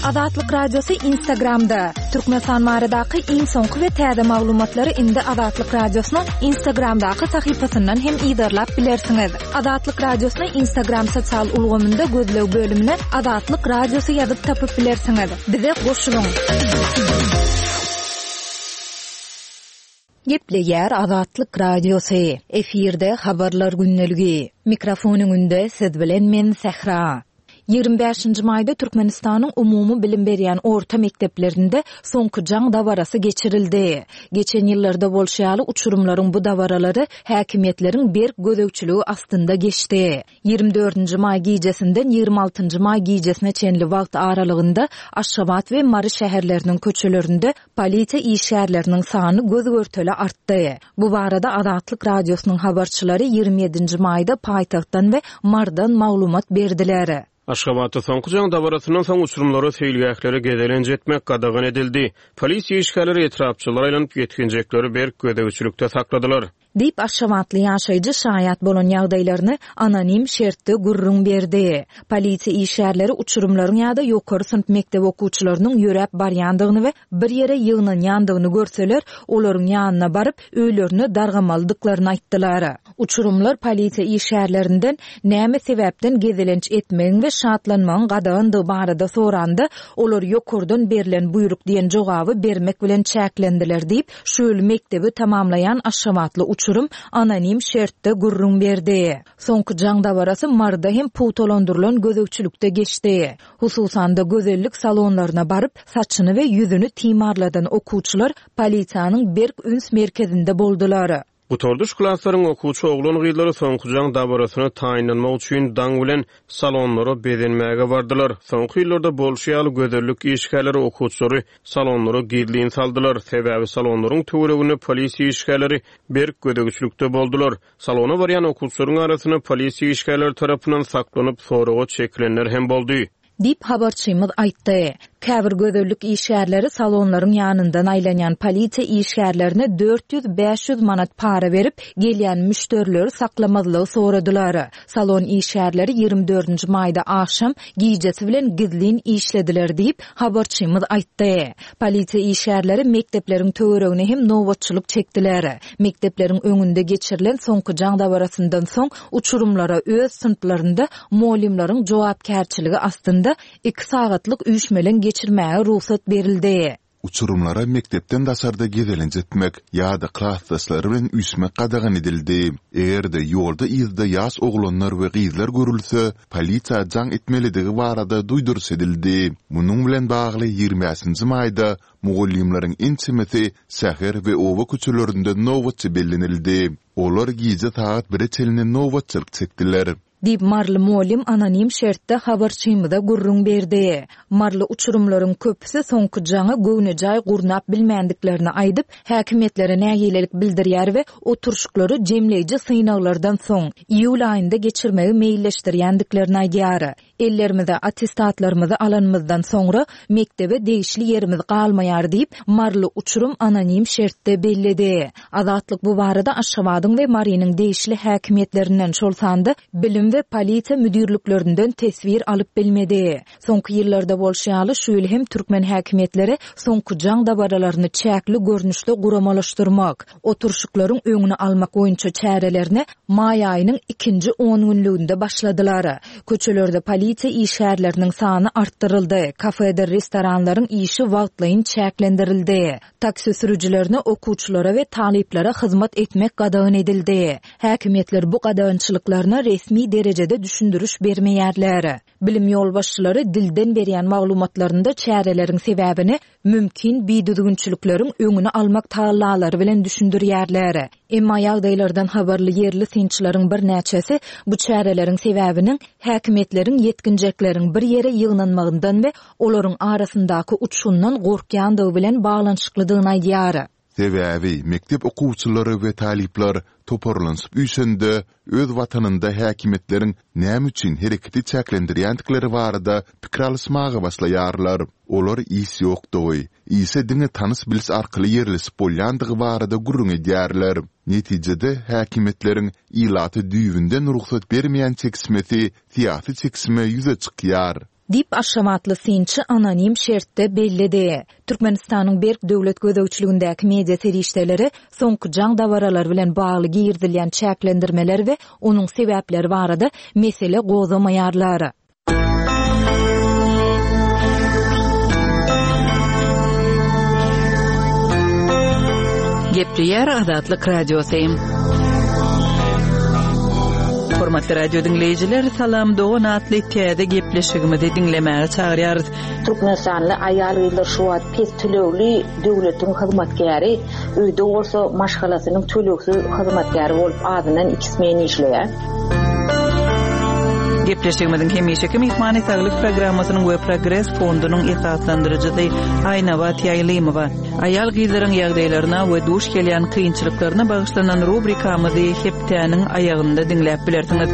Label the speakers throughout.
Speaker 1: Azatlyk Radiosy Instagramda! Türkmenistan baradaky iň soňky we täze maglumatlary indi Azatlyk Radiosynyň Instagramdaky sahypasyndan hem yzarlap bilersiňiz. Azatlyk Radiosyny Instagram sosial ulgamynda gözleg bölümine Azatlyk Radiosy ýazyp tapyp bilersiňiz. Bize goşulyň! Gepleýär Azatlyk Radiosy, efirde Habarlar gündeligi. Mikrofon öňünde siz bilen men Sähra. 25-nji maýda Türkmenistanyň umumy bilim berýän orta mekdeplerinde Soňky jaň dabarasy geçirildi. Geçen ýyllarda bolşy ýaly uçurymlaryň bu dabaralary häkimiýetleriň berk gözegçiligi astynda geçdi. 24-nji maý gijesinden 26-njy maý gijesine çenli wagt aralygynda Aşgabat we Mary şäherleriniň köçelerinde Polisiýa işgärleriniň sany göz-görtele artdy. Bu barada Azatlyk Radiosynyň habarçylary 27-nji maýda paýtagtdan we Marydan maglumat berdiler.
Speaker 2: Aşgabatda soňky jaň dabarasyndan soň uçurymlara seýilgählere gezelenç etmek gadagan edildi. Polisiýa işgärleri etrapçalara aýlanyp, ýetginjekleri berk gözegçilikde sakladylar.
Speaker 1: Diýip, aşgabatly ýaşaýjy şaýat bolan ýagdaýlaryny anonim şertde gürrüň berdi. Polisiýa işgärleri uçurymlaryň ýa-da ýokary synp mekdep okuwçylarynyň ýöräp barýandygyny we bir ýere ýygnanýandygyny görseler, olaryň ýanyna baryp, öýlerine dargamalydyklaryny aýtdylar. Uçurymlar polisiýa işgärlerinden näme sebäpden gezelenç etmegiň we şatlanmagyň gadagandygy barada soranda, olar ýokardan berlen buýruk diýen jogaby bermek bilen çäklendiler diýip, Şu ýyl mekdebi tamamlaýan aşgabatly uçurym anonim şertde gürrüň berdi. Soňky jaň dabarasy Maryda hem pugtalandyrylan gözegçilikde geçdi. Hususan-da, gözellik salonlaryna baryp, saçyny we ýüzüni timarladan okuwçylar polisiýanyň berk üns merkezinde boldular.
Speaker 2: Gutardyş klaslaryň okuwçy oglan-gyzlary soňky jaň dabarasyna taýynlanmak üçin daň bilen salonlara bezenmäge bardylar. Soňky ýyllarda bolşy ýaly, gözellik işgärleri okuwçylary salonlara gizlin saldylar. Sebäbi salonlaryň töwereginde polisiýa işgärleri berk gözegçilikde boldular. Salona barýan okuwçylaryň arasynda polisiýa işgärleri tarapyndan saklanyp, soraga çekilenler hem boldy.
Speaker 1: Diýip, habarçymyz aýtdy. Käbir gözellik işgärleri salonlaryň ýanyndan aýlanýan polisiýa işgärlerine 400-500 manat para berip, gelýän müşderileri saklamazlygy soradylar. Salon işgärleri 24-nji maýda agşam gijesi bilen gizlin işlediler diýip, habarçymyz aýtdy. Polisiýa işgärleri mekdepleriň töweregine hem nobatçylyk çekdiler. Mekdepleriň öňünde geçirilen soňky jaň dabarasyndan soň uçurymlara öz synplarynda mugallymlaryň jogapkärçiligi astynda iki sagatlyk üýşmeleň geçirmäge rugsat berildi.
Speaker 3: Uçurymlara mekdepden daşarda gezelenç etmek ýa-da klasdaşlary bilen üýşmek gadagan edildi. Eger-de ýolda-yzda ýaş oglanlar we gyzlar görülse, polisiýa jaň etmelidigi barada duýduryş edildi. Munuň bilen bagly 25-nji maýda mugallymlaryň ençemesi şäher we oba köçelerinde nobatçy bellenildi. Olar gije sagat bire çenli nobatçylyk çekdiler.
Speaker 1: Diýip, maryly mugallym anonim şertde habarçymyza gürrüň berdi. Maryly uçurymlaryň köpüsi soňky jaňy göwnejaý gurnap bilmändiklerini aýdyp, häkimiýetlere nägilelik bildirýär we oturyşyklary jemleýji synaglardan soň, iýul aýynda geçirmegi meýilleşdirýändiklerini aýdýar. Ellerimize attestatlarymyzy alanymyzdan soňra, mekdebe degişli ýerimiz galmaýar diýip, maryly uçurym anonim şertde belledi. Azatlyk bu barada Aşgabadyň we Marynyň degişli häkimiýetlerinden, şol sanda bilim we polisiýa müdirliklerinden teswir alyp bilmedi. Soňky ýyllarda bolşy ýaly, şu ýyl hem türkmen häkimiýetleri soňky jaň dabaralaryny çäkli görnüşde guramalaşdyrmak, oturyşyklaryň öňüni almak boýunça çärelerini maý aýynyň ikinji ongünlüginde başladylar. Köçelerde polisiýa işgärleriniň sany artdyryldy, kafedir restoranlaryň işi wagtlaýyn çäklendirildi. Taksi sürüjilerine okuwçylara we talyplara hyzmat etmek gadagan edildi. Häkimiýetler bu gadagançylyklaryna resmi derejede düşündiriş bermeýärler. Bilim ýolbaşçylary dilden berýän maglumatlarynda çäreleriň sebäbini mümkin bidüzgünçilikleriň öňüni almak tagallalary bilen düşündirýärler. Emma ýagdaýlardan habarly ýerli synçylaryň birnäçesi bu çäreleriň sebäbiniň häkimiýetleriň ýetginjekleriň bir ýere ýygnanmagyndan we olaryň arasyndaky uçgundan gorkýandygy bilen baglanyşyklydygyny aýdýar.
Speaker 3: Sebäbi mekdep okuwçylary we talyplar toparlanyşyp üýşende, öz watanynda häkimiýetleriň näme üçin hereketi çäklendirýändikleri barada pikir alyşmaga başlaýarlar. Olar iş ýokdugy, işe diňe tanyş-biliş arkaly ýerleşip bolýandygy barada gürrüň edýärler. Netijede, häkimiýetleriň ilata düýbünden rugsat bermeýän çekişmesi syýasy çekişme ýüze çykýar.
Speaker 1: Diýip, aşgabatly synçy anonim şertde belledi. Türkmenistanyň berk döwlet gözegçiligindäki media serişdeleri soňky jaň dabaralary bilen bagly girizilýän çäklendirmeler we onuň sebäpleri barada mesele gozgamaýarlar.
Speaker 4: Gepleýär Azatlyk Radiosy. Hormatly radio diňleýjiler, Salam dogan atly täze gepleşigimizi diňlemäge çagyrýarys.
Speaker 5: Türkmenistanly aýal-gyzlar şu wagt pes tölegli döwletiň hyzmatkäri, öýde bolsa maşgalasynyň tölegsiz hyzmatkäri bolup azyndan iki smen işleýär.
Speaker 4: Gepleşigimiziň hemişeki myhmany Saglyk programmasynyň we Progres fondunyň esaslandyryjysy Aýnabat Ýaýlymowa. Aýal-gyzlaryň ýagdaýlaryna we duş gelýän kynçylyklaryna bagyşlanan rubrikamyzy hepdäniň aýagynda diňläp bilersiňiz.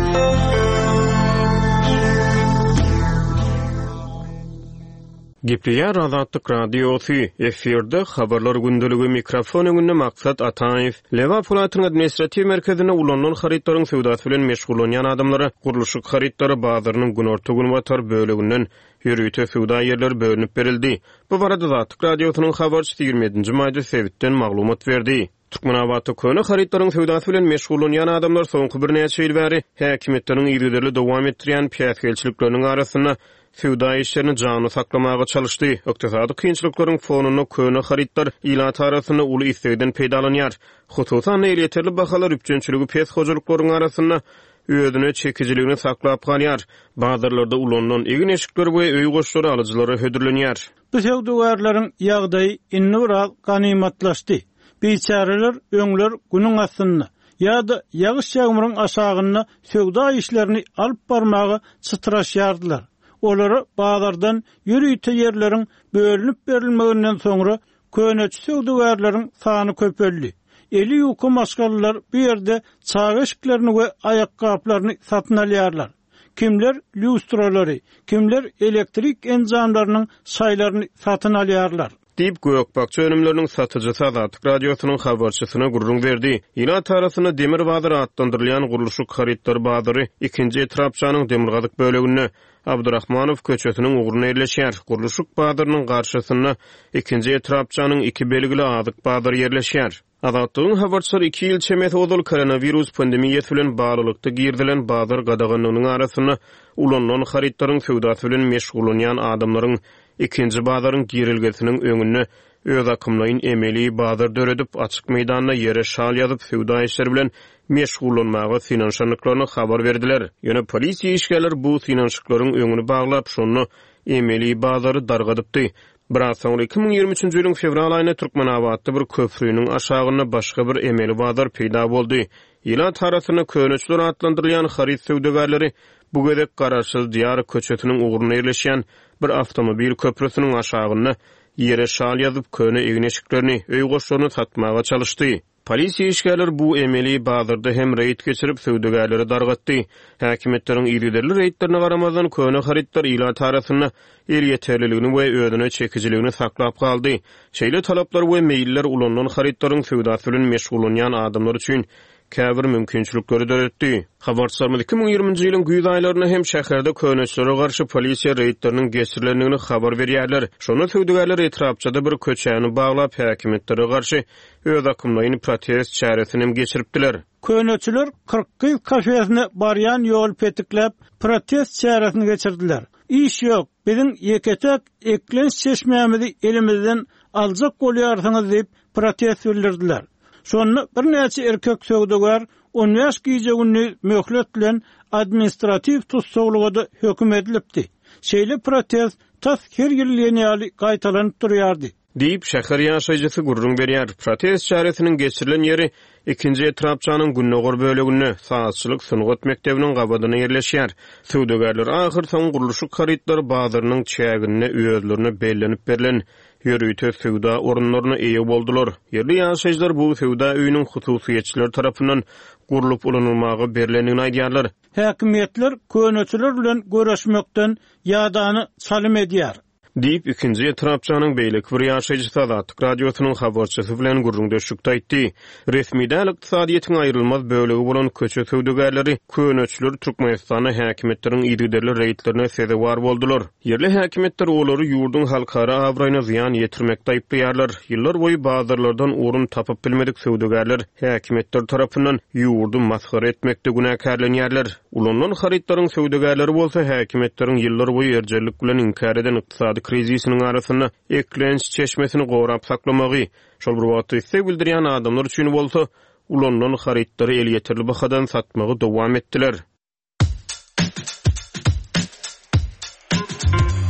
Speaker 2: Gepleýär Azatlyk Radiosy, efirde Habarlar gündeligi, mikrofon öňünde Maksat Ataýew. Lebap welaýatynyň administratiw merkezinde ulanylan harytlaryň söwdasy bilen meşgullanýan adamlara gurluşyk harytlary bazarynyň günorta-günbatar böleginden ýörite söwda ýerleri bölünip berildi. Bu barada Azatlyk Radiosynyň habarçysy 27-nji maýda sebitden maglumat berdi. Türkmenabatda köne harytlaryň söwdasy bilen meşgullanýan adamlar soňky birnäçe ýyl bäri häkimiýetleriň yzygiderli dowam etdirýän päsgelçilikleriniň arasynda söwda işlerini janly saklamaga çalyşdy. Ykdysady kynçylyklaryň fonunda köne harytlar ilat arasynda uly islegden peýdalanýar. Hususan-da, elýeterli bahalar üpjünçiligi pes hojalyklaryň arasynda özüne çekijiligini saklap galýar. Bazarlarda ulanylan egin-eşikler we öý goşlary alyjylara hödürlenýär.
Speaker 6: Bu söwdagärleriň ýagdaýy indi biraz ganymatlaşdy. Biçäreler öňler günüň astynda ýa-da ýagyş-ýagmyryň aşagynda söwda işlerini alyp barmaga çytraşýardylar. Olara bazardan ýörite ýerleriň bölünip berilmeginden soňra köneçi söwdagärleriň sany köpeldi. Eli ýuka maşgalalar bu ýerde çaga eşiklerini we aýakgaplaryny satyn alýarlar. Kimler lýustralary, kimler elektrik enjamlarynyň şaýlaryny satyn alýarlar.
Speaker 2: Diýip, gök-bakja önümleriniň satyjysy Azatlyk Radiosynyň habarçysyna gürrüň berdi. Ilat arasynda Demir bazar atlandyrylýan gurluşyk harytlary bazary ikinji etrapçanyň demirgazyk böleginde, Abdurahmanow köçesiniň ugrunda ýerleşýär. Gurluşyk bazarynyň garşysynda ikinji etrapçanyň iki belgili azyk bazary ýerleşýär. Azatlygyň habarçylary iki ýyl çemesi ozal koronawirus pandemiýasy bilen baglylykda girizilen bazar gadaganlygynyň arasynda ulanylan harytlaryň söwdasy bilen meşgullanýan adamlaryň ikinji bazaryň girelgesiniň öňünde özakymlaýyn emeli bazar döredip, açyk meýdanda ýere şal ýazyp söwda işleri bilen meşgullanmaga synanyşandyklaryny habar berdiler. Ýöne polisiýa işgärleri bu synanyşyklaryň öňüni baglap, şonda emeli bazary dargadypdy. Biraz soňra 2023-nji ýylyň fewral aýynda Türkmenabatda bir köprüniň aşagynda başga bir emeli bazar peýda boldy. Ilat arasynda köneçiler atlandyrylýan haryt söwdagärleri bu gezek Garaşsyz Diýar köçesiniň ugrunda ýerleşýän bir awtomobil köprüsiniň aşagynda ýere şal ýazyp, köne egin-eşiklerini, öý goşlaryny satmaga çalyşdy. Polisiýa işgärleri bu emeli bazarda hem reýd geçirip, söwdagärleri dargatdy. Häkimiýetleriň yzygiderli reýdlerine garamazdan, köne harytlar ilat arasynda elýeterliligini we özüne çekijiligini saklap galdy. Şeýle talaplar we meýiller ulanylan harytlaryň söwdasy bilen meşgullanýan adamlar üçin käbir mümkinçilikleri döretdi. Habarçylarymyz 2020-nji ýylyň güýz aýlarynda hem şäherde köneçilere garşy polisiýa reýdleriniň geçirilendigini habar berýärler. Şonda söwdagärler etrapçada bir köçäni baglap, häkimiýetlere garşy özakymlaýyn protest çäresini hem geçiripdiler.
Speaker 6: Köneçiler 40 gyz kafesine barýan ýoly petikläp, protest çäresini geçirdiler. Iş ýok, biziň ýeke-täk eklenç çeşmämizi elimizden aljak bolýarsyňyz diýip, protest bildirdiler. Şonda birnäçe erkek söwdagär 15 gije-gündiz möhlet bilen administratiw tussaglyga-da höküm edilipdi. Şeýle protest tas her ýyl diýen ýaly gaýtalanyp durýardy.
Speaker 2: Diýip, şäher ýaşaýjysy gürrüň berýär. Protest çäresiniň geçirilen ýeri ikinji etrapçanyň gündogar böleginde, sazçylyk sungat mekdebiniň gabadynda ýerleşýär. Söwdagärler ahyrsoňy gurluşyk harytlary bazarynyň çäginde özlerine bellenip berlen ýörite söwda orunlaryna eýe boldular. Ýerli ýaşaýjylar bu söwda öýüniň hususyýetçiler tarapyndan gurlup ulanylmaga berlendigini aýdýarlar.
Speaker 6: Häkimiýetler köneçiler bilen göreşmekden ýadana çalym edýär.
Speaker 2: Diýip, ikinji etrapçanyň beýleki bir ýaşaýjysy Azatlyk Radiosynyň habarçysy bilen gürrüňdeşlikde aýtdy. Resmi däl ykdysadyýetiň aýrylmaz bölegi bolan köçe söwdagärleri, köneçiler Türkmenistanda häkimiýetleriň yzygiderli reýdlerine sezewar boldular. Ýerli häkimiýetler olary ýurduň halkara abraýyna zyýan ýetirmekde aýyplaýarlar. Ýyllar boýy bazarlardan orun tapyp bilmedik söwdagärler häkimiýetler tarapyndan ýurdy masgara etmekde günäkärlenýärler. Ulanylan harytlaryň söwdagärleri bolsa häkimiýetleriň ýyllar boýy erjellik bilen inkär eden ykdysady krizisiniň arasynda eklenç çeşmesini gorap saklamagy, şol bir wagtda isleg bildirýän adamlar üçin bolsa ulanylan harytlary elýeterli bahadan satmagy dowam etdiler.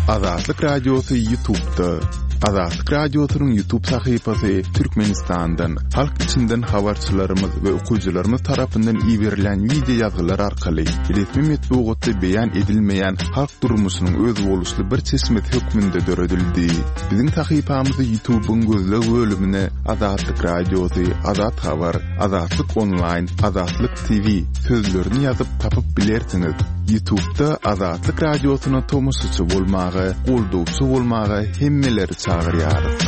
Speaker 3: Azatlyk Radiosy YouTube'da. Azatlyk Radiosynyň YouTube sahypasy Türkmenistandan, halk içinden habarçylarymyz we okyjylarymyz tarapyndan iberilen wideo ýazgylar arkaly resmi metbugatda beýan edilmeýän halk durmuşynyň özboluşly bir çeşmesi hökmünde döredildi. Biziň sahypamyzy YouTube-yň gözleg bölümine Azatlyk Radiosy, Azat Habar, Azatlyk Onlaýn, Azatlyk TV sözlerini ýazyp tapyp bilersiňiz. Ýutubda Azatlyk Radiosyna tomaşaçy bolmaga, goldawçy bolmaga hemmeleri çagyrýarys.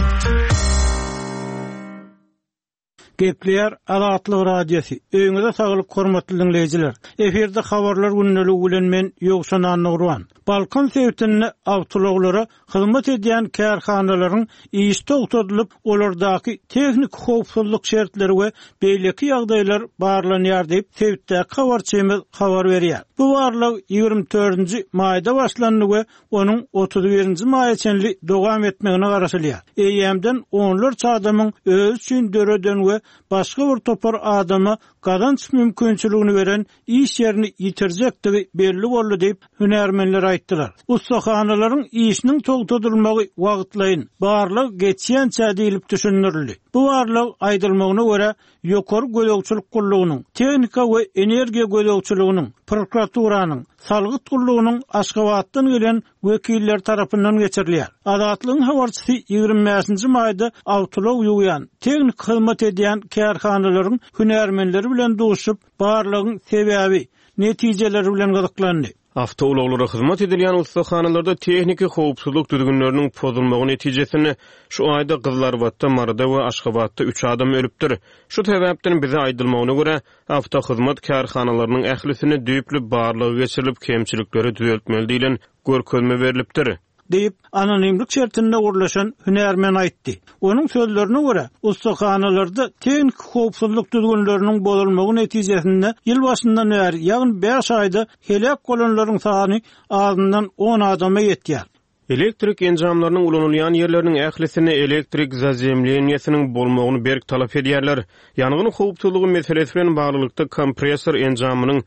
Speaker 6: Gepleýär Azatlyk Radiosy. Öýüňize saglyk hormatly diňleýjiler. Efirde habarlar gündeligi bilen men Ýowşan Annagurban. Balkan sebitinde awtoulaglara hyzmat edýän kärhanalaryň işi togtadylyp, olardaky tehniki howpsuzlyk şertleri we beýleki ýagdaýlar barlanýar diýip, sebitdäki habarçymyz habar berýär. Bu barlag 24-nji maýda başlandy we onuň 31-nji maýa çenli dowam etmegine garaşylýar. Eýýämden onlarça adamyň özi üçin döreden we başga bir topar adama gazanç mümkinçiligini beren iş ýerini ýitirjekdigi belli boldy diýip, hünärmenler aýtdylar. Ussahanalaryň işiniň togtadylmagy wagtlaýyn, barlag geçýänçä diýlip düşündirildi. Bu barlag, aýdylmagyna görä, Ýokary gözegçilik gullugynyň, Tehnika we energiýa gözegçiliginiň, prokuraturanyň, Salgyt gullugynyň Aşgabatdan gelen wekilleri tarapyndan geçirilýär. Azatlygyň habarçysy 25-nji maýda awtoulag ýuwýan, tehniki hyzmat edýän kärhanalaryň hünärmenleri bilen duşup, barlagyň sebäbi, netijeleri bilen gyzyklandy.
Speaker 2: Awtoulaglara hyzmat edilýän ussahanalarda tehniki howpsuzlyk düzgünleriniň pozulmagy netijesinde şu aýda Gyzylarbatda, Maryda we Aşgabatda üç adam ölüpdir. Şu sebäpden bize aýdylmagyna görä, awtohyzmat kärhanalarynyň ählisinde düýpli barlag geçirilip, kemçilikleri düzeltmeli diýlen görkezme berlipdir.
Speaker 6: Diýip, anonimlik şertinde gürleşen hünärmen aýtdy. Onuň sözlerine görä, ussahanalarda tehniki howpsuzlyk düzgünleriniň bozulmagy netijesinde ýyl başyndan bäri, ýagny bäş aýda heläk bolanlaryň sany azyndan on adama ýetýär.
Speaker 2: Elektrik enjamlarynyň ulanylýan ýerleriniň ählisinde elektrik zazemleniýesiniň bolmagyny berk talap edýärler. Ýangyn howpsuzlygy meselesi bilen baglylykda kompressor enjamynyň,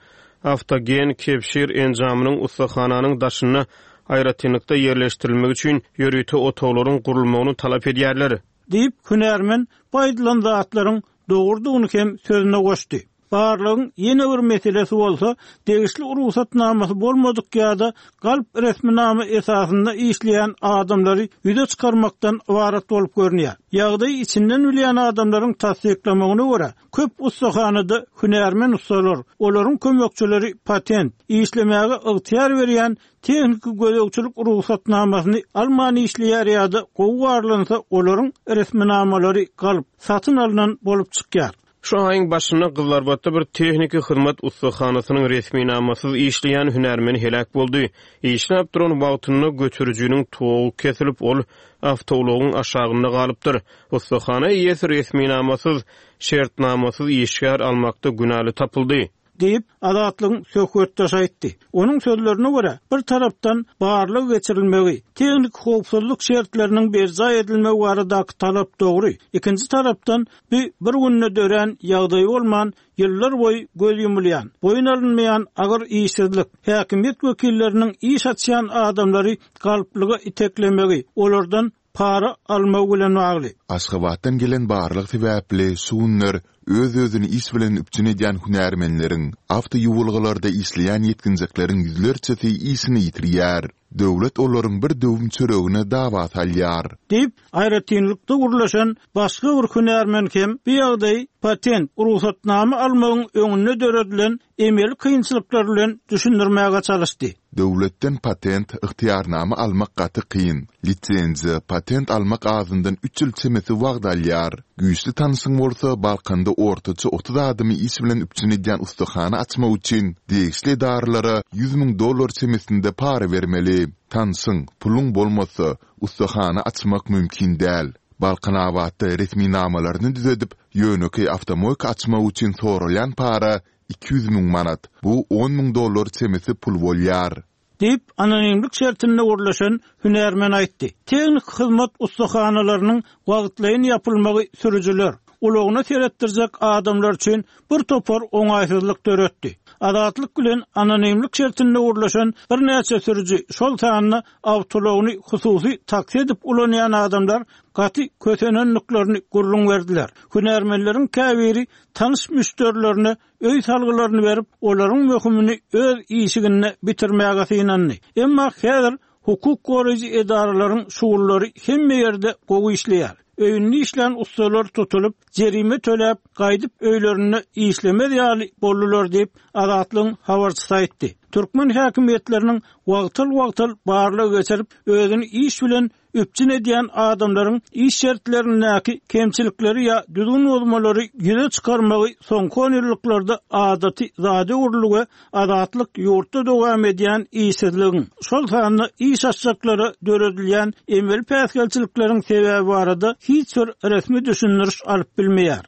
Speaker 2: awtogen kebşir enjamynyň ussahananyň daşynda aýratynlykda ýerleşdirilmegi üçin ýörite otaglaryň gurulmagyny talap edýärler.
Speaker 6: Diýip, hünärmen bu aýdylan zatlaryň dogrudygyny hem sözüne goşdy. Barlagyň ýene bir meselesi bolsa, degişli rugsatnamasy bolmadyk ýa-da galp resminama esasynda işleýän adamlary ýüze çykarmakdan ybarat bolup görünýär. Ýagdaýy içinden bilýän adamlaryň tassyklamagyna görä, köp ussahanada hünärmen ussalar, olaryň kömekçileri patent, işlemäge ygtyýar berýän tehniki gözegçilik rugsatnamasyny alman işleýär ýa-da gowy barlansa olaryň resminamalary galp, satyn alnan bolup çykýar.
Speaker 2: Şu aýyň başynda Gyzylarbatda bir tehniki hyzmat ussahanasynyň resminamasyz işleýän hünärmeni heläk boldy. Işläp duran wagtynda göterijiniň togy kesilip, ol awtoulagyň aşagynda galypdyr. Ussahana eýesi resminamasyz, şertnamasyz işgär almakda günäli tapyldy.
Speaker 6: Diýip, Azatlygyň söhbetdeşi aýtdy. Onuň sözlerine görä, bir tarapdan barlag geçirilmegi, tehniki howpsuzlyk şertleriniň berjaý edilmegi baradaky talap dogry, ikinji tarapdan, bu bir günde dörän ýagdaý bolman, ýyllar boýy göz ýumulýan, boýun alynmaýan agyr işsizlik, häkimiýet wekilleriniň iş açýan adamlary galplyga iteklemegi, olardan para almagy bilen bagly.
Speaker 3: Aşgabatdan gelen barlag sebäpli şu günler öz-özüni iş bilen üpjün edýän hünärmenleriň, awtoýuwalgalarda işleýän ýetginjekleriň ýüzlerçesi işini ýitirýär. Döwlet olaryň bir döwüm çöregine dawa salýar.
Speaker 6: Diýip, aýratynlykda gürleşen başga bir hünärmen hem bu ýagdaýy patent, rugsatnama almagyň öňünde döredilen emeli kynçylyklar bilen düşündirmäge çalyşdy.
Speaker 3: Döwletden patent, ygtyýarnama almak gaty kyn. Lisenziýa, patent almak azyndan üç ýyl çemesi wagt alýar. Güýçli tanyşyň bolsa, Balkanda ortaça 30 adamy iş bilen üpjün edýän ussahana açmak üçin degişli edaralara 100 müň dollar çemesinde para bermeli. Tanşyň, puluň bolmasa, ussahana açmak mümkin däl. Balkanabatda resminamalaryny düzedip, ýönekeý awtomoýka açmak üçin soralýan para 200 müň manat, bu on müň dollar çemesi pul bolýar.
Speaker 6: Diýip, anonimlik şertinde gürleşen hünärmen aýtdy. Tehniki hyzmat ussahanalarynyň wagtlaýyn ýapylmagy sürüjiler, ulagyna seretdirjek adamlar üçin bir topar oňaýsyzlyk döretdi. Azatlyk bilen anonimlik şertinde gürleşen birnäçe sürüji, şol sanda awtoulagyny hususy taksi edip ulanýan adamlar gaty kösenendiklerini gürrüň berdiler. Hünärmenleriň käbiri tanyş müşderilerine öý salgylaryny berip, olaryň möhümini öz işiginde bitirmäge synandy. Emma häzir hukuk goraýjy edaralaryň şugullary hemme ýerde gowy işleýär. Öýünde işlän ussalar tutulyp, jerime töläp, gaýdyp öýlerinde işlemez ýaly boldular diýip, Azatlygyň habarçysy aýtdy. Türkmen häkimiýetleriniň wagtal-wagtal barlag geçirip, özüni iş bilen üpjün edýän adamlaryň iş şertlerindäki kemçilikleri ýa düzgün bozmalary ýüze çykarmagy soňky onýyllyklarda adaty zada öwrüldi we Azatlyk ýurtda dowam edýän işsizligiň, şol sanda iş açjaklara döredilýän emeli päsgelçilikleriň sebäbi barada hiç bir resmi düşündiriş alyp bilmeýär.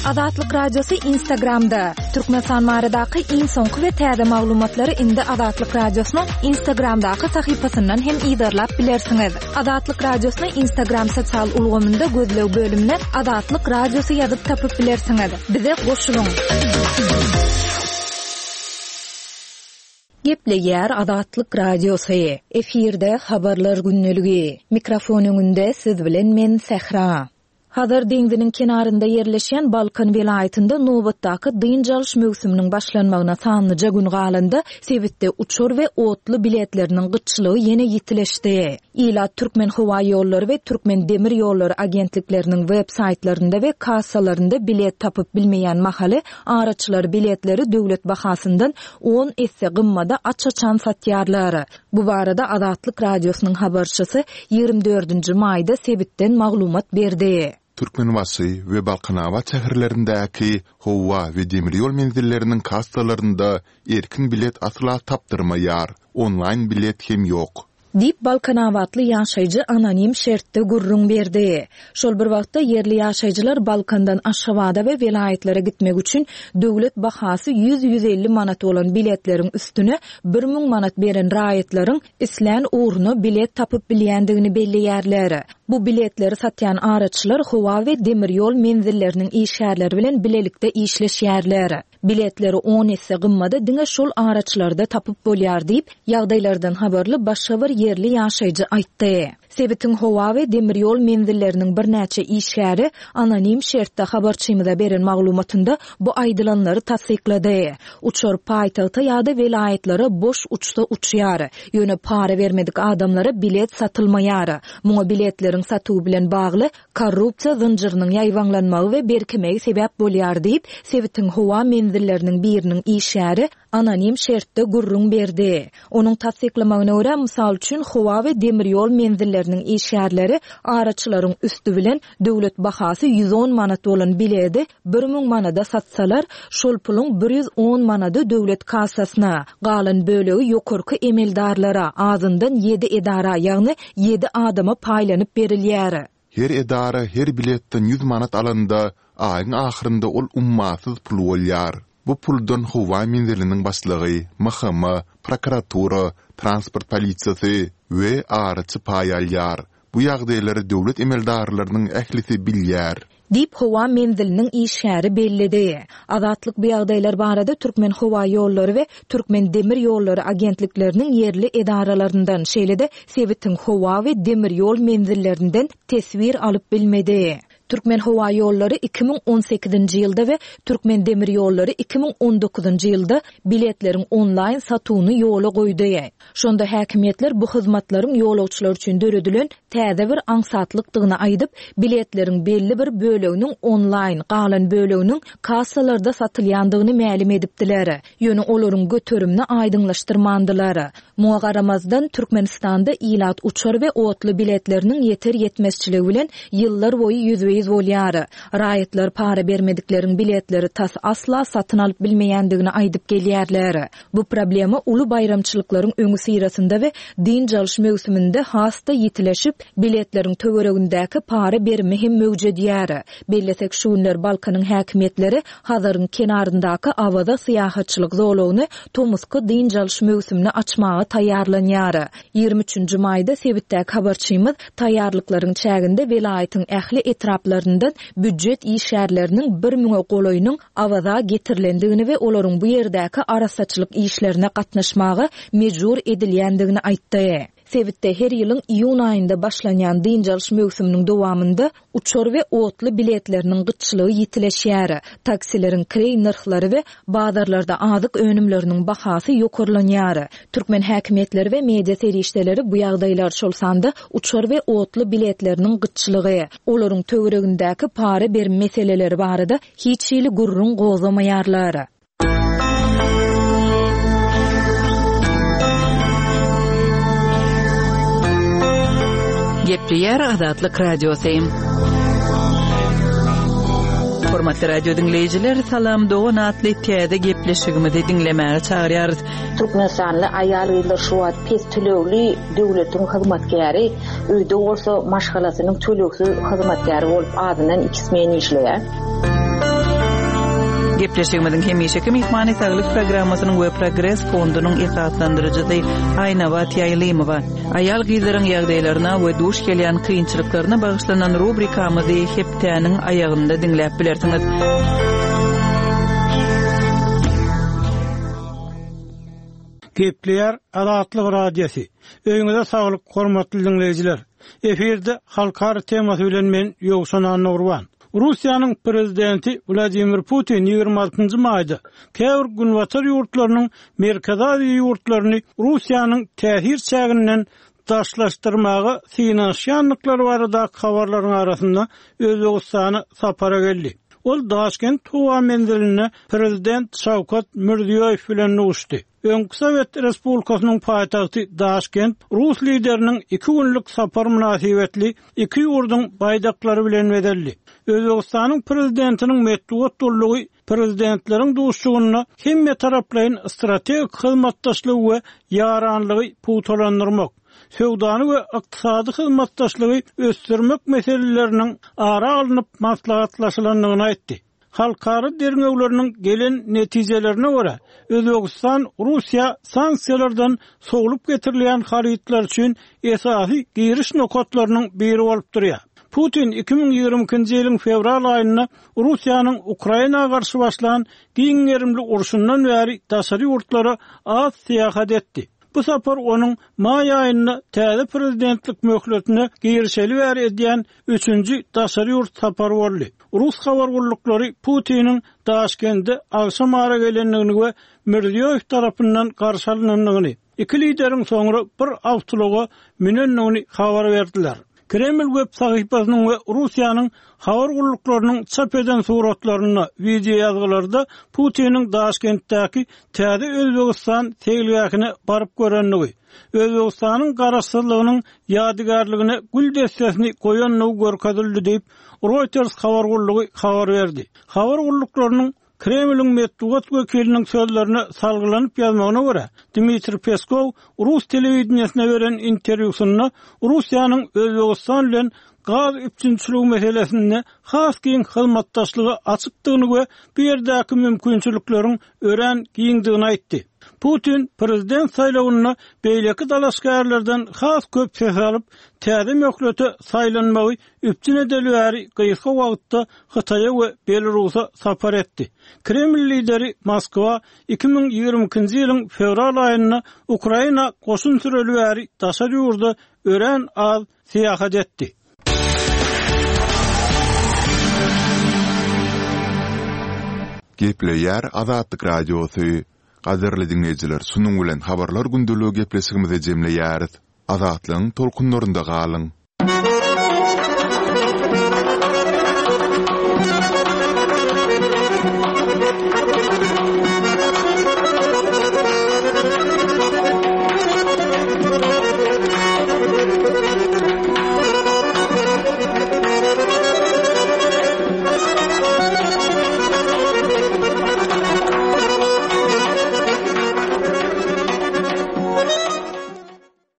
Speaker 1: Azatlyk Radiosy Instagramda, Türkmenistan baradaky iň soňky we täze maglumatlary indi Azatlyk Radiosynyň Instagramdaky sahypasyndan hem yzarlap bilersiňiz. Azatlyk Radiosyny Instagram sosial ulgamynda gözleg bölümine Azatlyk Radiosy ýazyp tapyp bilersiňiz. Bize goşulyň! Gepleýär Azatlyk Radiosy. Efirde Habarlar gündeligi. Mikrofon öňünde siz bilen men Sähra. Hazar deňziniň kenarynda ýerleşýän Balkan welaýatynda nobatdaky dynç alyş möwsüminiň başlanmagyna sanlyja gün galanda, sebitde uçar we otly biletleriniň gytçylygy ýene ýitileşdi. Ilat Türkmenhowaýollary we Türkmendemirýollary agentlikleriniň web saýtlarynda we kassalarynda bilet tapyp bilmeýän mahaly, araçylar biletleri döwlet bahasyndan on esse gymmada aç-açan satýarlar. Bu barada Azatlyk Radiosynyň habarçysy 24 nji maýda sebitden maglumat berdi.
Speaker 3: Türkmenbaşy we Balkanabat şäherlerindäki howa we demir ýol menzilleriniň kassalarynda erkin bilet asla tapdyrmaýar, onlaýn bilet hem ýok.
Speaker 1: Diýip, balkanabatly ýaşaýjy anonim şertde gürrüň berdi. Şol bir wagtda, ýerli ýaşaýjylar Balkandan Aşgabada we welaýatlara gitmek üçin döwlet bahasy 100-150 manat bolan biletleriň üstüne 1000 manat beren raýatlaryň islän ugruna bilet tapyp bilýändigini belleýärler. Bu biletleri satýan araçylar howa we demir ýol menzilleriniň işgärleri bilen bilelikde işleşýärler. Biletleri on esse gymmada diňe şol araçylarda tapyp bolýar diýip, ýagdaýlardan habarly başga bir ýerli ýaşaýjy aýtdy. Sebitiň howa we demir ýol menzilleriniň birnäçe işgäri anonim şertde habarçymyza beren maglumatynda bu aýdylanlary tassyklady. Uçar paýtagta ýa-da welaýatlara boş uçsa uçýar. Ýöne para bermedik adamlara bilet satylmaýar. Muňa biletleriň satuwy bilen bagly Korrupsiýa zynjyrynyň ýaýbaňlanmagy we berkemegi sebäp bolýar diýip, sebitiň howa menzilleriniň biriniň işgäri anonim şertde gürrüň berdi. Onuň tassyklamagyna görä, mysal üçin, howa we demir ýol menzilleriniň işgärleri araçylaryň üsti bilen döwlet bahasy 110 manat bolan biledi 1000 manada satsalar, şol puluň 110 manady döwlet kassasyna, galan bölegi ýokarky emeldarlara, azyndan ýedi edara, ýagny ýedi adama paýlanyp berilýär.
Speaker 3: Her edara her biletden ýüz manat alanda, aýyň ahyrynda ol ummasyz pul bolýar. Bu puldan howa menziliniň başlygy, MHM, prokuratura, transport polisiýasy we araçy paý alýar. Bu ýagdaýlary döwlet emeldarlarynyň ählisi bilýär.
Speaker 1: Diýip, howa menziliniň işgäri belledi. Azatlyk bu ýagdaýlar barada Türkmenhowaýollary we Türkmendemirýollary agentlikleriniň ýerli edaralaryndan, şeýle-de sebitiň howa we demir ýol menzillerinden teswir alyp bilmedi. Türkmenhowaýollary 2018-nji ýylda we Türkmendemirýollary 2019-njy ýylda biletleriň onlaýn satuwyny ýola goýdy. Şonda häkimiýetler bu hyzmatlaryň ýolagçylar üçin döredilen täze bir aňsatlykdygyny aýdyp, biletleriň belli bir böleginiň onlaýn, galan böleginiň kassalarda satylýandygyny mälim edipdiler. Ýöne olaryň göterimini aýdyňlaşdyrmandylar. Muňa garamazdan, Türkmenistanda ilat uçar we otly biletleriniň ýeter-ýetmezçiligi bilen ýyllar boýy ýüzbe-ýüz bolýar. Raýatlar para bermedikleriň biletleri tas asla satyn alyp bilmeýändigini aýdyp gelýärler. Bu problema uly baýramçylyklaryň öňüsyrasynda we dynç alyş möwsüminde has-da ýitileşip, biletleriň töweregindäki para berimi hem möwjedýär. Bellesek, şu günler Balkanyň häkimiýetleri Hazaryň kenaryndaky Awaza syýahatçylyk zolagyny tomusky dynç alyş möwsümine açmaga taýýarlanýar. 23 nji maýda sebitdäki habarçymyz taýýarlyklaryň çäginde welaýatyň ähli etraplaryndan býujet işgärleriniň bir müňe golaýynyň Awaza getirilendigini we olaryň bu ýerdäki arassaçylyk işlerine gatnaşmaga mejbur edilýändigini aýtdy. Sebitde her ýylyň iýun aýynda başlanýan dynç alyş möwsüminiň dowamynda uçar we otly biletleriniň gytçylygy ýitileşýär, taksileriň kireý nyrhlary we bazarlarda azyk önümleriniň bahasy ýokarlanýar. Türkmen häkimiýetleri we media serişdeleri bu ýagdaýlar, şol sanda uçar we otly biletleriniň gytçylygy, olaryň töweregindäki para berim meseleleri barada hiç hili gürrüň gozgamaýarlar.
Speaker 4: Gepleýär Azatlyk Radiosy. Hormatly radio diňleýjiler, Salam dogan atly täze gepleşigimizi diňlemäge çagyrýarys.
Speaker 5: Türkmenistanly aýal-gyzlar şu wagt pes tölegli döwletiň hyzmatkäri, öýde bolsa maşgalasynyň tölegsiz hyzmatkäri bolup azyndan iki smen işleýär.
Speaker 4: Gepleşigimiziň hemişeki myhmany Saglyk programmasynyň we Progres fondunyň esaslandyryjysy Aýnabat Ýaýlymowa. Aýal-gyzlaryň ýagdaýlaryna we duş gelýän kynçylyklaryna bagyşlanan rubrikamyzy hepdäniň aýagynda diňläp bilersiňiz.
Speaker 6: Gepleýär Azatlyk Radiosy. Öýüňize saglyk, hormatly diňleýjiler! Efirde Halkara temasy bilen men Ýowşan Annagurban. Russiýanyň Prezidenti Wladimir Putin 26-njy maýda käbir günbatar ýurtlarynyň Merkezi Aziýa ýurtlaryny Russiýanyň täsir çäginden daşlaşdyrmaga synanyşýandyklary baradaky habarlaryň arasynda Özbegistana sapara geldi. Ol Daşkent howa menzilinde Prezident Şawkat Mirziýoýew bilen duşdy. Öňki Sowet Respublikasynyň paýtagty Daşkent rus lideriniň iki günlük sapary mynasybetli iki ýurduň baýdaklary bilen bezeldi. Özbegistanyň Prezidentiniň metbugat gullugy Prezidentleriň duşuşygynda hemmetaraplaýyn strategik hyzmatdaşlygy we ýaranlygy pugtalandyrmak, söwdany we ykdysady hyzmatdaşlygy ösdürmek meseleleriniň ara alnyp maslahatlaşylandygyny aýtdy. Halkara derňewleriniň gelen netijelerine görä, Özbegistan Russiýa sanksiýalardan sowlup getirilýän harytlar üçin esasy giriş nokatlarynyň biri bolup durýar. Putin 2022-nji ýylyň fewral aýynda Russiýanyň Ukraina garşy başlan giň gerimli urşundan bäri daşary ýurtlara az syýahat etdi. Bu sapar onuň maý aýynda täze prezidentlik möhletine girişeli bäri edýän üçünji daşary ýurt sapary boldy. Rus habar gulluklary Putiniň Daşkende agşam ara gelendigini we Mirziýoýew tarapyndan garşy alynandygyny, iki lideriň soňra bir awtoulaga münendigini habar berdiler. Kreml web sahypasynyň we Russiýanyň habar gulluklarynyň çap eden suratlarynda, wideoýazgylarda Putiniň Daşkentdäki Täze Özbegistan seýilgähine baryp görendigi, Özbegistanyň garaşsyzlygynyň ýadygärligine gül dessesini goýandygy görkezildi diýip, Reuters habar gullugy habar berdi. Habar gulluklarynyň Kremliň metbugat wekiliniň sözlerine salgylanyp ýazmagyna görä, Dmitriý Peskow rus telewideniýesine beren interwýusynda Russiýanyň Özbegistan bilen gaz üpjünçiligi meselesinde has giň hyzmatdaşlyga açykdygyny we bu ýerdäki mümkinçilikleriň örän giňdigini aýtdy. Putin prezident saýlawynda beýleki dalaşgärlerden has köp ses alyp, täze möhlete saýlanmagy üpjün edeli bäri gysga wagtda Hytaýa we Belarusa sapar etdi. Kreml lideri Moskwa 2022-nji ýylyň fewral aýynda Ukraina goşun süreli bäri daşary ýurda örän az syýahat etdi.
Speaker 3: Gepleýär Azatlyk Radiosy. Gadyrly diňleýjiler, şunuň bilen Habarlar gündeligi gepleşigimizi jemleýäris. Azatlygyň tolkunlarynda galyň!